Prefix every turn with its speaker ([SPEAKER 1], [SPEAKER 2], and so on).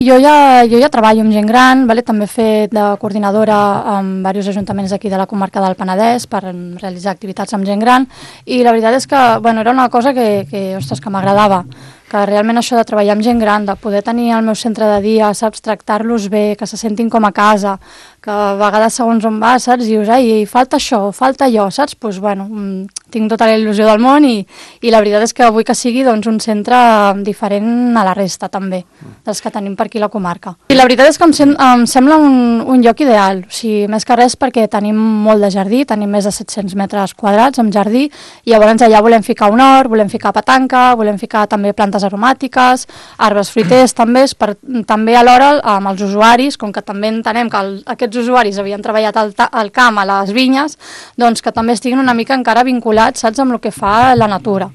[SPEAKER 1] Jo ja treballo amb gent gran, vale? També he fet de coordinadora amb diversos ajuntaments aquí de la comarca del Penedès per realitzar activitats amb gent gran i la veritat és que era una cosa que m'agradava, que realment això de treballar amb gent gran, de poder tenir el meu centre de dia, saps, tractar-los bé, que se sentin com a casa, que a vegades segons on vas, saps, dius, ai, falta això, falta allò, saps, doncs tinc tota la il·lusió del món i la veritat és que vull que sigui doncs, un centre diferent a la resta també, dels que tenim per aquí a la comarca. I la veritat és que em sembla un lloc ideal, o sigui, més que res perquè tenim molt de jardí, tenim més de 700 metres quadrats amb jardí i llavors allà volem ficar un hort, volem ficar petanca, volem ficar també plantes aromàtiques, arbres fruiters també alhora amb els usuaris, com que també entenem que aquests usuaris havien treballat al camp, a les vinyes, doncs que també estiguin una mica encara vinculats, saps, amb el que fa la natura.